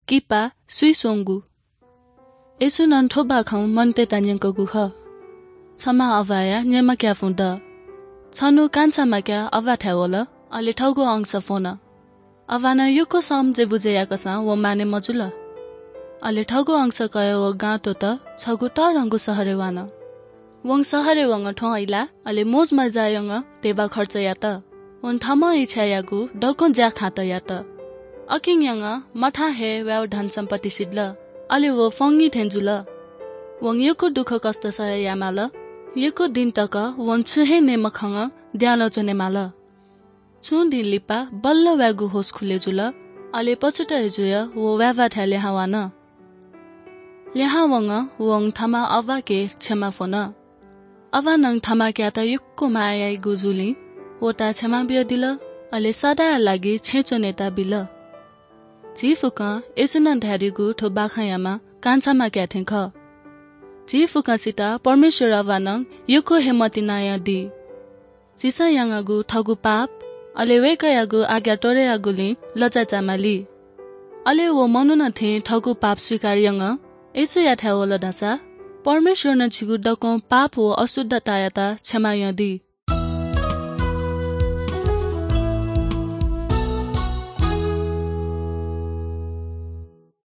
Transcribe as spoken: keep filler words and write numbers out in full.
किपा, सुइस्वंगु। येशूं नं थ्व बाखं मनूतय्‌त न्यंकूगु खः। छम्ह अभाया निम्ह क्यापुं दः। छन्हु कान्छाम्ह क्याः अभाथाय् वल, अले थःगु अंश फ्वन। अभानं यक्व समझे बुझे याकःसां व मानय् मजुल। अले थःगु अंश कयाः व गां त्वःतः छगू तःधंगु शहरय् वान। वं शहरय् वंगः थ्वँ अय्‌लाः, अले मोजमज्जा यानाः धिबा खर्च यात। वं थःम्हं इच्छा याःगु दक्वं ज्याखाँत यात। अकिं यानाः मथां हे वयागु धनसम्पत्ति सिधल, अले व फ्वंगि थें जुल। वं यक्व दुःखकष्ट सह यायेमाल। यक्व दिं तक वं छुं हे नये मखंगः द्यालं च्वनेमाल। छुं दिं लिपा बल्ल वयागु होश खुले जुल, अले पछुत हे जुयाः व वय्‌भाथाय् लिहां वान। लिहां वंगः वं थःम्ह अभाके क्षमा फ्वन। अभानं थःम्ह क्यात यक्व माया याइगु जूलिं वयात क्षमा बियादिल, अले सदांया लागि छेँय् च्वनेत बिल। झी फुक्कं येशूं नं धयादीगु थ्व बाखंयाम्ह कान्छाम्ह क्याः थें खः। झी फुक्कसित परमेश्वर अभानं यक्व हे मतिनायंदी। झीसं यानागु थःगु पाप, अले वय्‌कःयागु आज्ञा त्वःता याःगुलिं लज्जा चायेमाली। अले व मनुखं थें थःगु पाप स्वीकार यानाः येशूयाथाय् वल धाःसा परमेश्वरं झीगु दक्वं पाप व अशुद्धतायात क्षमा यानादी।